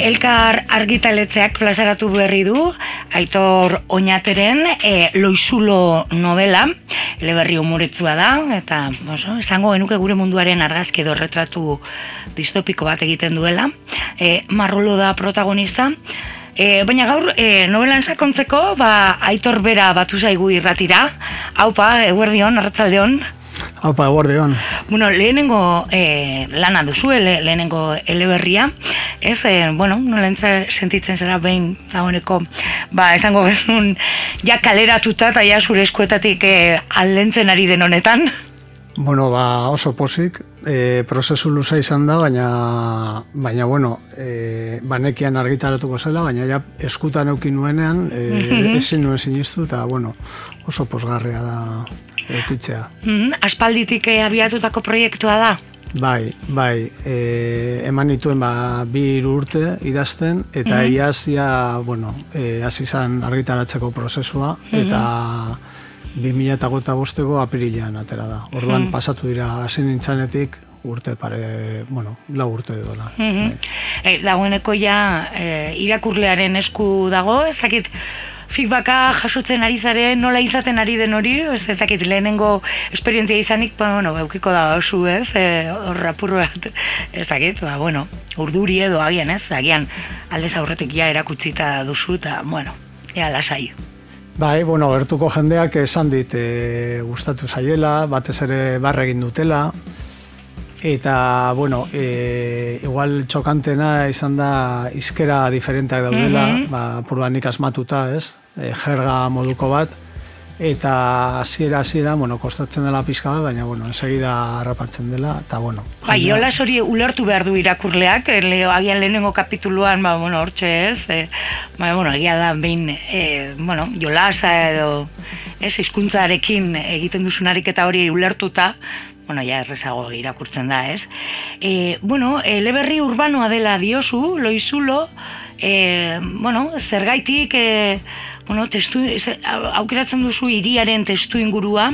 Elkar argitaletzeak plazaratu berri du Aitor Oñateren Loizulo novela, eleberri umoretsua da, eta esango genuke gure munduaren argazki edo retratu distopiko bat egiten duela. Marrolo da protagonista, baina gaur novelan sakontzeko Aitor bera batu zaigu irratira. Haupa, eguerdion, arratsaldeon. Haupa, eguerdion. Bueno, lehenengo lana duzu, lehenengo eleberria, ez, nola sentitzen zera behin dagoeneko, esango gezun, ja kaleratuta eta ja zure eskuetatik aldentzen ari den honetan. Bueno, oso pozik, prozesu luza izan da, baina banekian argitaratuko zela, baina ja eskutan eukin nuenean, ezin nuen sinistu, eta oso posgarria da eukitzea. Aspalditik abiatutako proiektua da? Bai, eman nituen 2 urte idazten, eta iazia, hasi izan argitaratzeko prozesua, eta 2005ko apirilean atera da. Orduan pasatu dira hasi nintzanetik urte pare, 4 urte dola. Dagoeneko ja irakurlearen esku dago, ez dakit feedbacka jasotzen ari zaren, nola izaten ari den hori, ez dakit lehenengo esperientzia izanik, eukiko da oso ez, hor apurro bat, ez dakit, urduri edo agian ez, agian aldez aurretik ja erakutzita duzu, eta ea lasai. Bai, gertuko jendeak esan dit gustatu zaiela, batez ere barregin dutela, eta, igual txokantena izan da izkera diferenteak daudela, purbanik asmatuta, ez, jerga moduko bat, eta hasiera, kostatzen dela pixka bat, baina, ensegida harrapatzen dela, eta, Bai, jolas hori ulertu behar du irakurleak, agian lehenengo kapituluan, hortxe ez, egia da, behin, jolasa edo, hizkuntzarekin egiten duzunarik eta hori ulertuta, ja errezago irakurtzen da, ez. Eleberri urbanoa dela diozu, Loizulo, zergaitik, aukeratzen duzu hiriaren testu ingurua,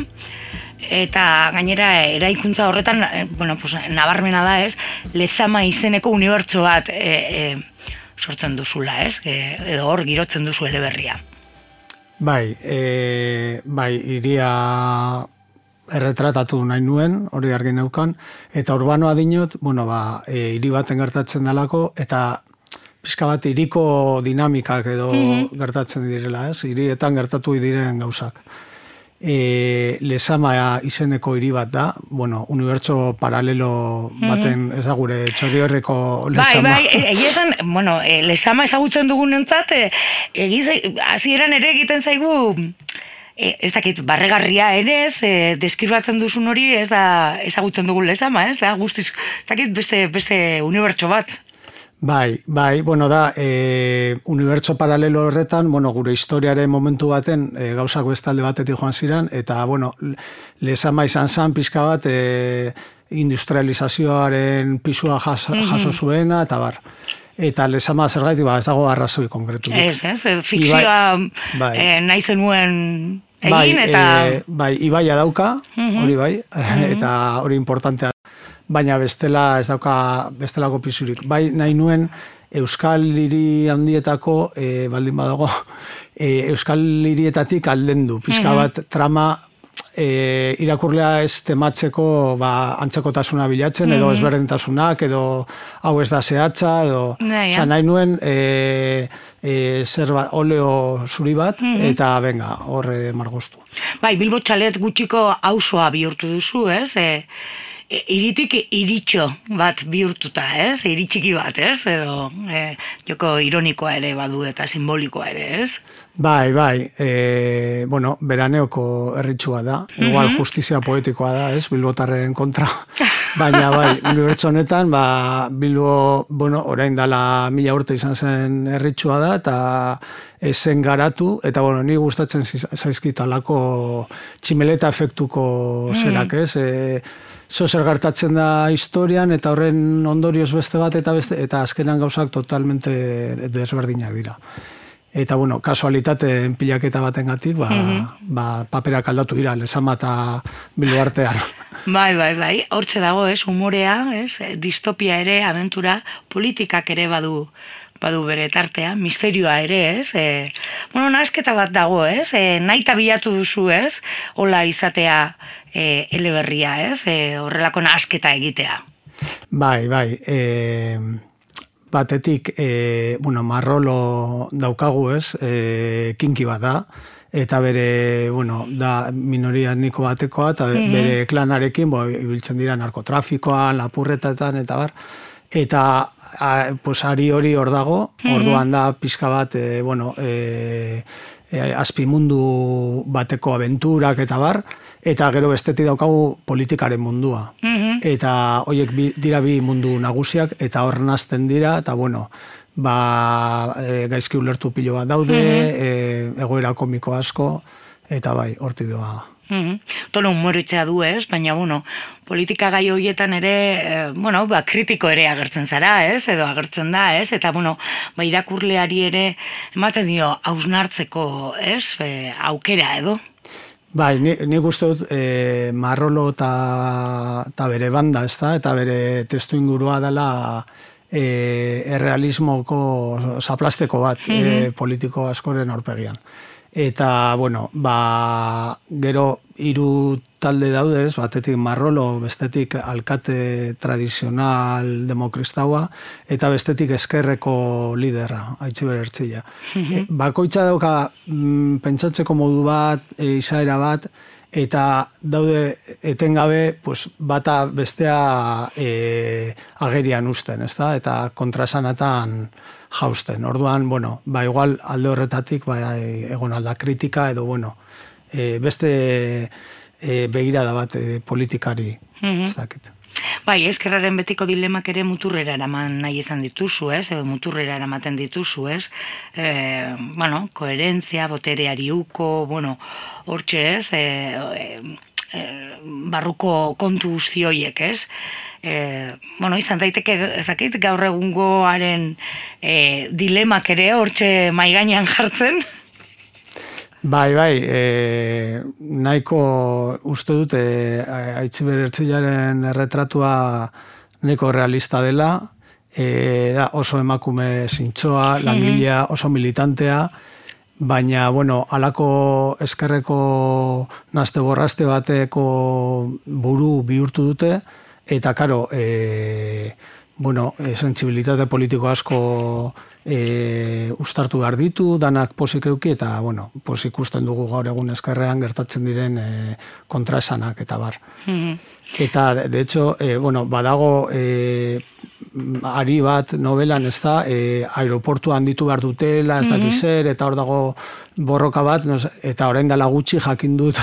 eta gainera eraikuntza horretan, nabarmena da, ez, Lezama izeneko unibertso bat sortzen duzula, ez, edo hor girotzen duzu eleberria. Bai, hiria erretratatu nahi nuen, hori argi neukan, eta urbanoa dinot, hiri baten gertatzen dalako, eta pixka bat hiriko dinamikak edo gertatzen direla, ez? Hirietan gertatu diren gauzak. Lezama izeneko hiri bat da, unibertso paralelo baten, ez da gure Txorierriko Lezama. Egia esan, Lezama ezagutzen dugunentzat, hasieran ere egiten zaigu, ez dakit, barregarria ere, deskribatzen duzun hori, ez da ezagutzen dugun Lezama, ez da guztiz, ez dakit, beste unibertso bat. Bai, da, unibertso paralelo horretan, gure historiaren momentu baten gauzak bestalde batetik joan ziren, eta, Lezama izan zen pixka bat industrializazioaren pisua jaso zuena, eta bar. Eta Lezama zergaitik, ez dago arrazoi konkretu. Ez, fikzioa nahi zenuen egin, eta... Bai, ibaia dauka, hori bai, eta hori importantea. Baina bestela ez dauka bestelako pisurik. Bai, nahi nuen Euskal Hiri handietako, baldin badago, Euskal Hirietatik aldendu. Pixka bat trama irakurlea ez tematzeko antzekotasuna bilatzen, edo ezberdintasunak, edo hau ez da zehatza, edo... Nahi nuen oleo zuri bat, eta benga, horre margoztu. Bai, Bilbo Txalet gutxiko auzoa bihurtu duzu, ez? Iritik iritxo bat bihurtuta, ez? Iritxiki bat, ez? Edo joko ironikoa ere badu eta simbolikoa ere, ez? Bai, beraneoko erritxua da. Igual justizia poetikoa da, ez? Bilbotarren kontra. Baina, unibertso honetan, Bilbo, orain dala 1000 urte izan zen erritxua da, eta esen garatu, eta, ni gustatzen zaizkit alako tximeleta efektuko zerak, ez? Zer gertatzen da historian, eta horren ondorioz beste bat, eta azkenan gauzak totalmente desberdinak dira. Eta, kasualitate pilaketa batengatik, paperak aldatu dira, Lezama eta Bilbo artean. Bai, hortze dago, humorea, distopia ere, abentura, politikak ere badu badu bere tartea, misterioa ere, ez? Nahasketa bat dago, ez? Nahi eta bilatu duzu, ez? Hola izatea eleberria, ez? Horrelako nahasketa egitea. Bai. Batetik, Marrolo daukagu, ez? Kinki bat da. Eta bere, da minoria etniko batekoa, eta bere klanarekin, ibiltzen dira narkotrafikoan, lapurretetan, eta bar. Eta, ari hori hor dago, orduan da pixka bat, azpimundu bateko abenturak, eta bar, eta gero bestetik daukagu politikaren mundua. Eta horiek dira bi mundu nagusiak, eta hor nazten dira, eta gaizki ulertu pilo bat daude, egoera komiko asko, eta bai, horti doa. Tono humoritzea du, ez? Baina, politika gai horietan ere, kritiko ere agertzen zara, ez? Edo agertzen da, ez? Eta, irakurleari ere ematen dio hausnartzeko, ez? Aukera, edo? Bai, nik uste dut Marrolo eta bere banda, ez da? Eta bere testu ingurua dela errealismoko zaplasteko bat politiko askoren aurpegian. Eta, gero hiru talde daudez, batetik Marrolo, bestetik alkate tradizional demokristaua, eta bestetik eskerreko liderra, Aitziber Ertzilla. Bakoitza dauka pentsatzeko modu bat, izaera bat, eta daude etengabe bata bestea agerian usten, ezta? Eta kontrasanatan jausten. Orduan, igual alde horretatik egon alda kritika edo, beste begirada bat politikari, ez dakit. Bai, eskerraren betiko dilemak ere muturrera eraman nahi izan dituzu, ez? Edo muturrera eramaten dituzu, ez? Koherentzia, botereari uko, hortxe, ez? Barruko kontu guztioiek, ez? Izan daiteke, ezakit, gaur egungoaren dilemak ere hortxe maigainan jartzen? Bai, nahiko uste dut Aitziber Ertzillaren erretratua nahiko realista dela, da oso emakume zintzoa, langilea, oso militantea, baina, halako eskerreko nazte borraste bateko buru bihurtu dute, eta, karo, sentsibilitate politiko asko ustartu behar ditu, danak posik euki, eta, posik ikusten dugu gaur egun eskerrean gertatzen diren kontraesanak, eta bar. Eta, de hecho, badago ari bat novelan, ez da, aeroportua handitu behar dutela, ez dakiz zer, eta hor dago borroka bat, eta orain dela gutxi jakin dut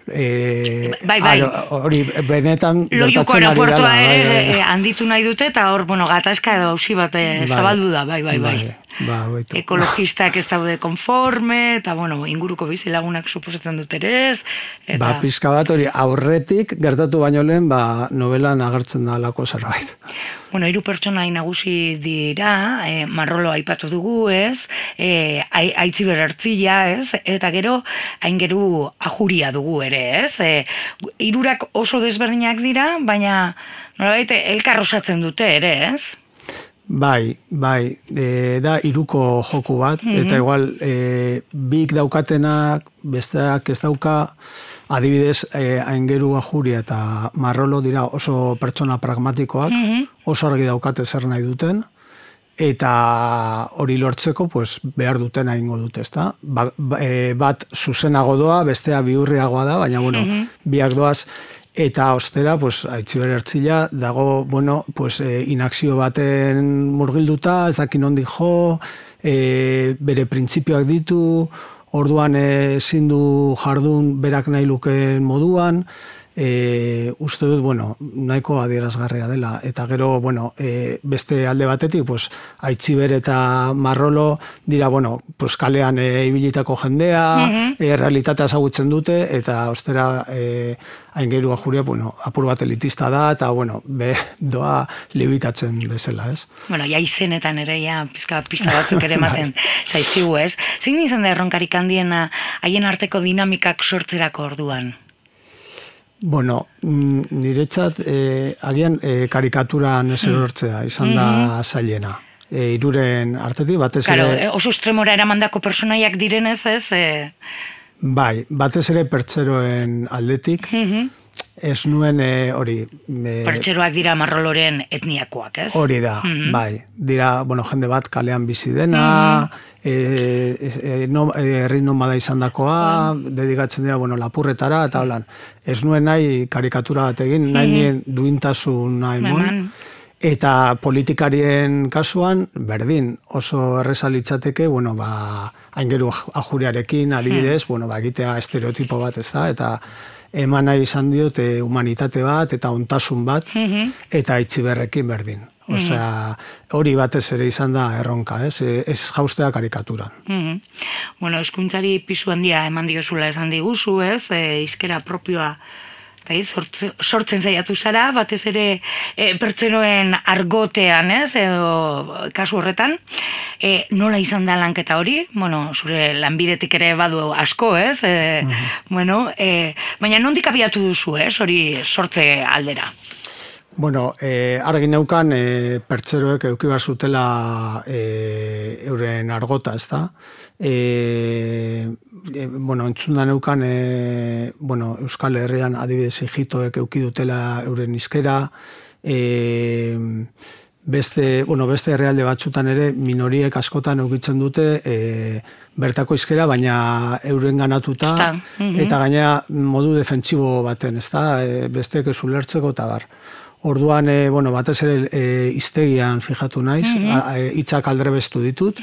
hori benetan Loiuko aeroportua ere handitu nahi dute, eta hor, gatazka edo hausi bat zabaldu da, bai. Ekologistak ez daude konforme, eta, inguruko bizilagunak suposatzen dut ere ez. Pizka bat hori aurretik gertatu baino lehen, novelan agertzen da alako zerbait. Hiru pertsonai nagusi dira, Marrolo aipatu dugu, ez? Aitziber Ertzilla, ez? Eta gero, aingeru Ajuria dugu ere, ez? Hirurak oso desberdinak dira, baina nolabait elkar osatzen dute ere, ez? Bai, da hiruko joku bat, eta igual bik daukatenak, besteak ez dauka, adibidez, aingeru Ajuria eta Marrolo dira oso pertsona pragmatikoak, oso argi daukate zer nahi duten, eta hori lortzeko behar duten egingo dute, ezta? Bat zuzenago doa, bestea bihurriagoa da, baina, biak doaz, eta ostera, Aitziber Ertzilla dago, inakzio baten murgilduta, ez dakin nondik jo, bere printzipioak ditu, orduan ezin du jardun berak nahi lukeen moduan, uste dut, nahiko adierazgarria dela. Eta gero, beste alde batetik, Aitziber eta Marrolo dira, kalean ibilitako jendea, realitatea ezagutzen dute, eta ostera aingeru Ajuria, apur bat elitista da, eta, doa libitatzen bezala, ez? Izenetan ere, pista batzuk ere ematen zaizkigu, ez? Zein izan da erronkarik handiena haien arteko dinamikak sortzerako orduan? Niretzat, agian karikaturan ez erortzea izan da zailena. hiruren artetik, batez Claro, ere... oso estremora eramandako personaiak direnez, ez? Bai, batez ere pertseroen aldetik, ez nuen hori... Pertseroak dira marroloren etniakoak, ez? Hori da, bai. Dira, bueno, jende bat kalean bizi dena, herri nomada izan dakoa, dedikatzen dira, bueno, lapurretara, eta holan. Ez nuen nahi karikatura bat egin, nahi nien duintasuna emon. Eta politikarien kasuan, berdin, oso erreza litzateke, bueno, aingeru ajuriarekin, adibidez, bueno, egitea estereotipo bat, ez da, eta eman nahi izan diot humanitate bat, eta ontasun bat, eta itxiberrekin berdin. Osea, hori batez ere izan da erronka, ez jaustea karikaturan. Bueno, eskuntzari pisu handia eman diozula esan diguzu, ez, hizkera propioa, sortzen saiatu zara, batez ere pertsenoen argotean, ez, edo kasu horretan, nola izan da lanketa hori? Bueno, zure lanbidetik ere badu asko, ez? Bueno, baina nondik abiatu duzu, ez, hori sortze aldera? Bueno, argi neukan pertseroek eduki behar zutela euren argota, ez da? Bueno, entzunda neukan, bueno, Euskal Herrian adibidez Egiptoek eduki dutela euren hizkera, beste herrialde batzutan ere minoriek askotan eukitzen dute bertako hizkera, baina euren ganatuta, eta gainera modu defentsibo baten, ez da? Besteek ez ulertzeko eta bar. Orduan, bueno, batez ere hiztegian fijatu naiz, hitzak aldrebestu ditut,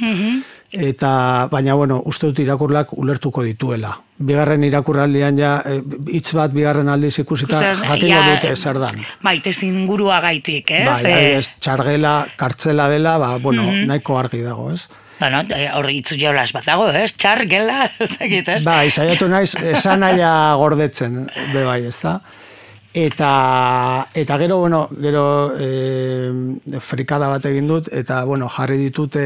eta, baina, bueno, uste dut irakurlak ulertuko dituela. Bigarren irakurraldian ja, hitz bat bigarren aldiz ikusita jakingo dute zer dan. Bai, ingurua gaitik, ez? Bai, txargela, kartzela dela, bueno, nahiko argi dago, ez? Bueno, horri hitz jolas bat dago, ez? Txar, gela, ez dakit, ez? Bai, saiatu naiz, esan naia gordetzen, bai, ez da? Eta gero, bueno, frikada bat egin dut, eta, bueno, jarri ditut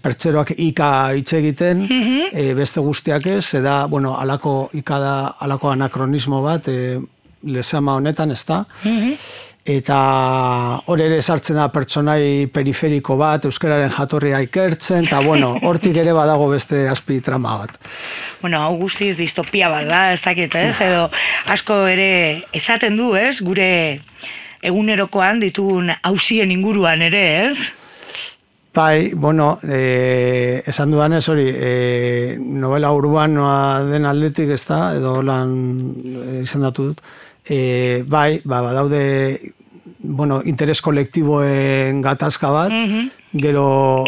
pertseroak ika hitz egiten, beste guztiak ez, eta, bueno, alako anakronismo bat, lezama honetan, ez da? Eta hor ere sartzen da pertsonai periferiko bat, euskararen jatorria ikertzen, eta, bueno, hortik ere badago beste azpi trama bat. Bueno, hau guztiz distopia bat da, ez dakit, ez? Edo asko ere esaten du, ez? Gure egunerokoan ditugun auzien inguruan ere, ez? Bai, bueno, esan dudanez hori, novela urbanoa den aldetik, ez da, edo lan izendatu dut, bai, badaude, bueno, interes kolektiboen gatazka bat, gero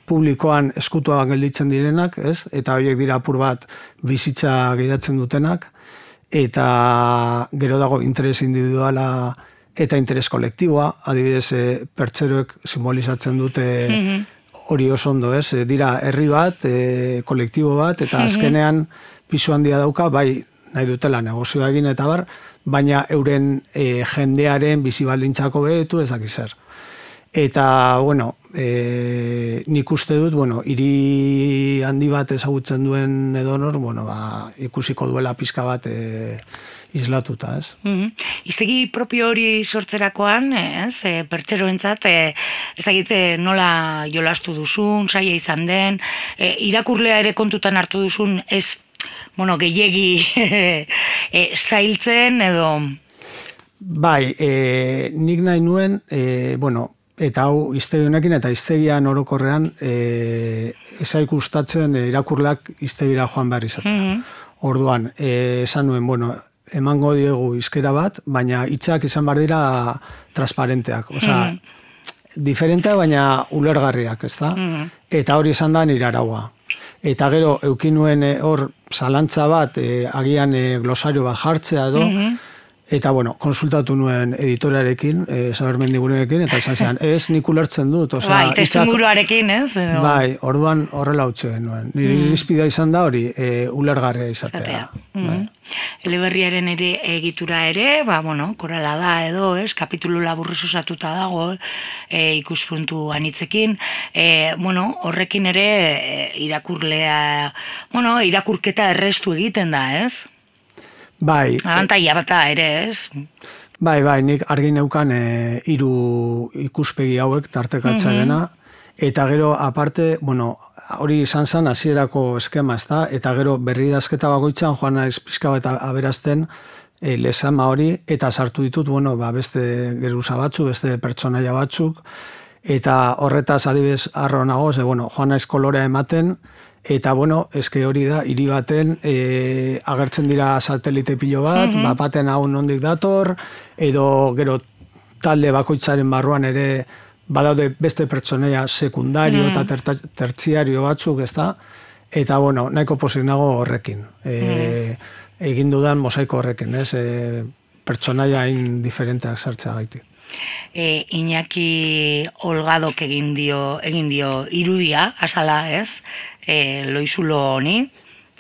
publikoan eskutuan gelditzen direnak, ez? Eta horiek dira apur bat bizitza gidatzen dutenak, eta gero dago interes individuala eta interes kolektiboa, adibidez pertseroek simbolizatzen dute hori oso ondo, ez? Dira herri bat, kolektibo bat, eta azkenean pisu handia dauka, bai nahi dutela negozioa egin eta bar, baina euren jendearen bizibaldintzako behetu ezak zer. Eta, bueno, nik uste dut, bueno, hiri handi bat ezagutzen duen edonor, bueno, ikusiko duela pizka bat islatuta, ez? Hiztegi propio hori sortzerakoan, ez? Pertseroentzat, ez dakit nola jolastu duzun, saia izan den, irakurlea ere kontutan hartu duzun, ez, bueno, gehiegi zailtzen edo... Bai, nik nahi nuen, bueno, eta hau hiztegi honekin eta hiztegian orokorrean eza ikustatzen irakurlak hiztegira joan behar izatea. Orduan, esan nuen, bueno, emango diegu hizkera bat, baina hitzak izan behar dira transparenteak. Osea, diferenteak baina ulergarriak, ez da? Eta hori izan da nire araua. Eta gero, eukin nuen hor zalantza bat, agian glosario bat jartzea edo, eta, bueno, konsultatu nuen editorearekin, Saber Mendigurenekin, eta esan zean, ez nik ulertzen dut. Bai, testuinguruarekin, ez? Bai, orduan horrela utxe nuen. Nire irizpidea izan da hori, ulergarria izatea. Eleberriaren ere egitura ere, bueno, korala da edo, ez? Kapitulu laburrez osatuta dago, ikuspuntu anitzekin. Bueno, horrekin ere irakurlea, bueno, irakurketa errestu egiten da, ez? Bai. Abantaia bata ere, ez? Bai, nik argi neukan 3 ikuspegi hauek tartekatzearena, eta gero aparte, hori izan zen hasierako eskema, ezta? Eta gero berridazketa bakoitzan joan naiz pixka bat aberazten lezama hori, eta sartu ditut, beste geruza batzuk, beste pertsonaia batzuk, eta horretaz adibidez harro nago, joan naiz kolorea ematen, eta eske hori da, hiri baten agertzen dira satelite pilo bat, baten hau nondik dator, edo gero talde bakoitzaren barruan ere badaude beste pertsonaia sekundario eta tertziario batzuk, ezta? Eta nahiko pozik nago horrekin. Egin dudan mosaiko horrekin, ez? Pertsonaia hain diferenteak sartzea gaitik. Iñaki Olgadok egin dio irudia, azala, ez? Loizulo honi,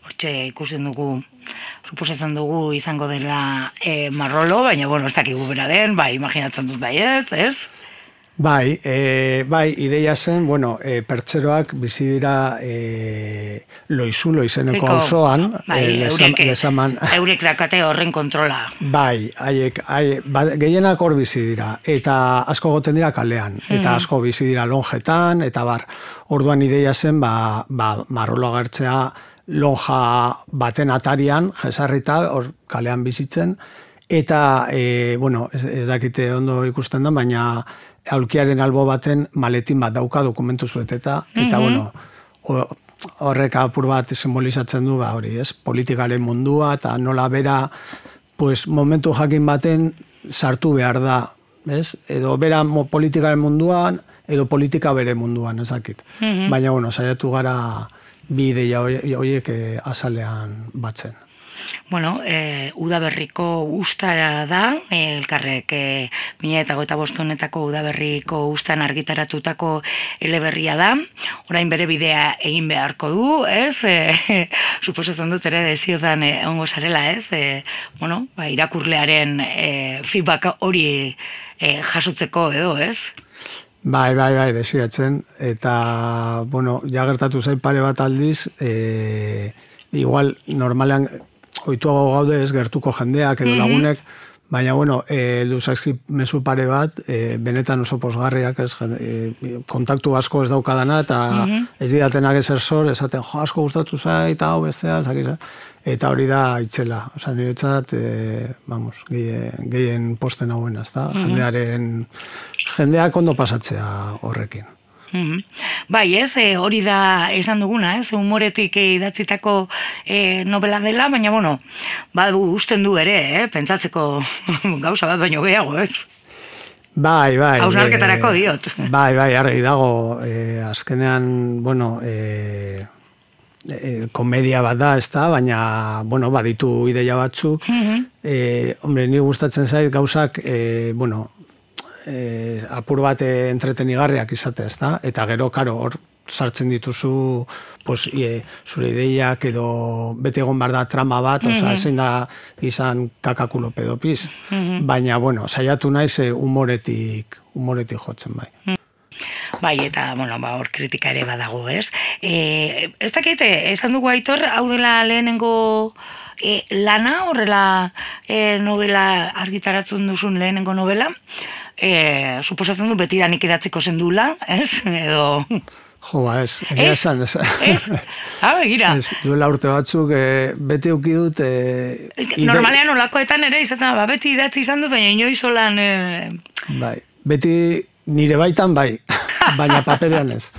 hortxe ikusten dugu, suposatzen dugu izango dela marrolo, baina, ez dakigu bera den, imaginatzen dut baiet, ez? Bai, ideia zen, pertseroak bizi dira Loizulo izeneko auzoan, lezaman. Eurek dakate horren kontrola. Bai, gehienak hor bizi dira, eta asko goten dira kalean, eta asko bizi dira lonjetan, eta orduan ideia zen, marrolo agertzea lonja baten atarian, jesarrita, hor kalean bizitzen, eta, ez dakite ondo ikusten da, baina aulkiaren albo baten maletin bat dauka dokumentu zueteta, eta horrek apur bat simbolizatzen du hori, ez? Politikaren mundua, eta nola bera momentu jakin baten sartu behar da, ez? Edo bera politikaren munduan, edo politika bere munduan, ez dakit. Baina, saiatu gara bi ideia horiek azalean batzen. Udaberriko ustara da, elkarrek 2025 honetako udaberriko ustan argitaratutako eleberria da, orain bere bidea egin beharko du, ez? Suposatzen dut ere desiotan ongo zarela, ez? Irakurlearen feedback hori jasotzeko edo, ez? Bai, desiatzen, eta, jagertatu zain pare bat aldiz, igual, normalean, oituago gaude ez gertuko jendeak edo lagunek, baina, duzazki mezu pare bat, benetan oso posgarriak, kontaktu asko ez daukadana, eta ez didatenak ezer zor, esaten, asko gustatu zait, hau bestea, eta hori da itzela. Osa, niretzat, gehien posten hauen, ezta? Jendeak ondo pasatzea horrekin. Bai, ez, hori da esan duguna, ez, humoretik idatzitako novela dela, baina, usten du ere, pentsatzeko gauza bat baino gehiago, ez? Bai. Hausnarketarako diot. Bai, argi dago, azkenean, komedia bat da, ez da, baina, baditu ideia batzuk. Ni gustatzen zait gauzak, apur bat entretenigarriak izate, ez da? Eta gero, hor sartzen dituzu zure ideiak edo bete egon behar da trama bat, ezin da izan kakakulo pedopiz. Baina, saiatu naiz humoretik jotzen, bai. Bai, eta, hor kritika ere badago, ez? Ez dakit, esan dugu Aitor, hau dela lehenengo lana, horrela novela argitaratzen duzun lehenengo novela, suposatzen du betidanik idatziko zendula, ez? Edo... Jo, ez. Ez? Begira. Duela urte batzuk, beti euki dut... Normalean olakoetan ere izaten, beti idatzi izan dut, baina inoiz olan... Bai, beti nire baitan bai, baina paperean ez.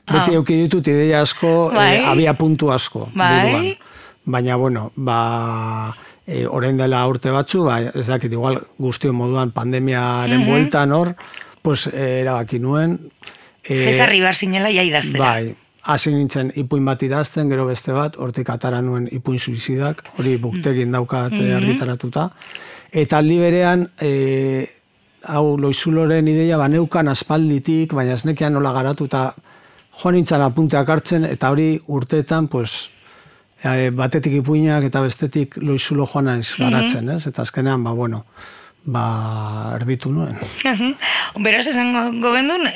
Beti euki ditut ideia asko, abia puntu asko. Bai. Baina, orain dela urte batzu, ez dakit, igual guztio moduan pandemiaren bueltan hor, erabaki nuen. Jesarri behar zinela ja idaztera. Bai, hasi nintzen ipuin bat idazten, gero beste bat, hortik atara nuen ipuin suizidak, hori buktegin daukat argitaratuta. Eta aldi berean, hau Loizuloren ideia baneukan aspalditik, baina ez nekean nola garatuta joan nintzen apunteak hartzen, eta hori urteetan, batetik ipuinak eta bestetik Loizulo joan naiz garatzen, ez? Eta azkenean, erditu nuen. Beraz, esango gendun,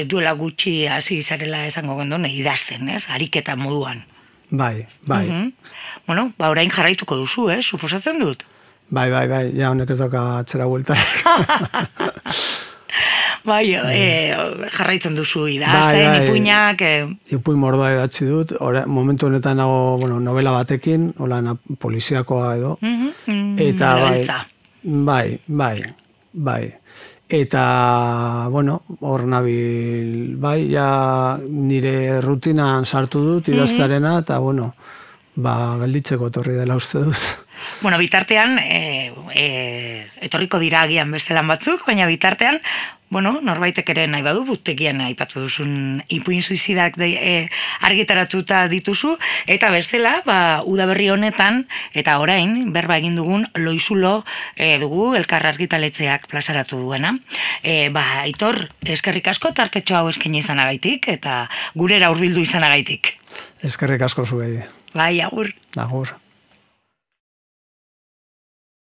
duela gutxi hasi zarela esango gendun, idazten, ez? Ariketa moduan. Bai. Orain jarraituko duzu, suposatzen dut? Bai, ja honek ez dauka atzera bueltarik. Bai, jarraitzen duzu idazten, ipuinak... Ipuin mordoa idatzi dut, momentu honetan nago, novela batekin, poliziakoa edo. Eta bai. Eta, hor nabil, bai, ja nire rutinan sartu dut idaztarena, eta, gelditzeko etorri dela uste dut. Bitartean, etorriko dira agian beste lan batzuk, baina bitartean, norbaitek ere nahi badu, butegian aipatu duzun ipuin suizidak argitaratuta dituzu, eta bestela, udaberri honetan, eta orain, berba egin dugun, loizulo dugu elkar argitaletxeak plazaratu duena. Aitor, eskerrik asko tartetxo hau eskaini izanagaitik, eta gurera hurbildu izanagaitik. Eskerrik asko zuei. Bai, agur. Agur.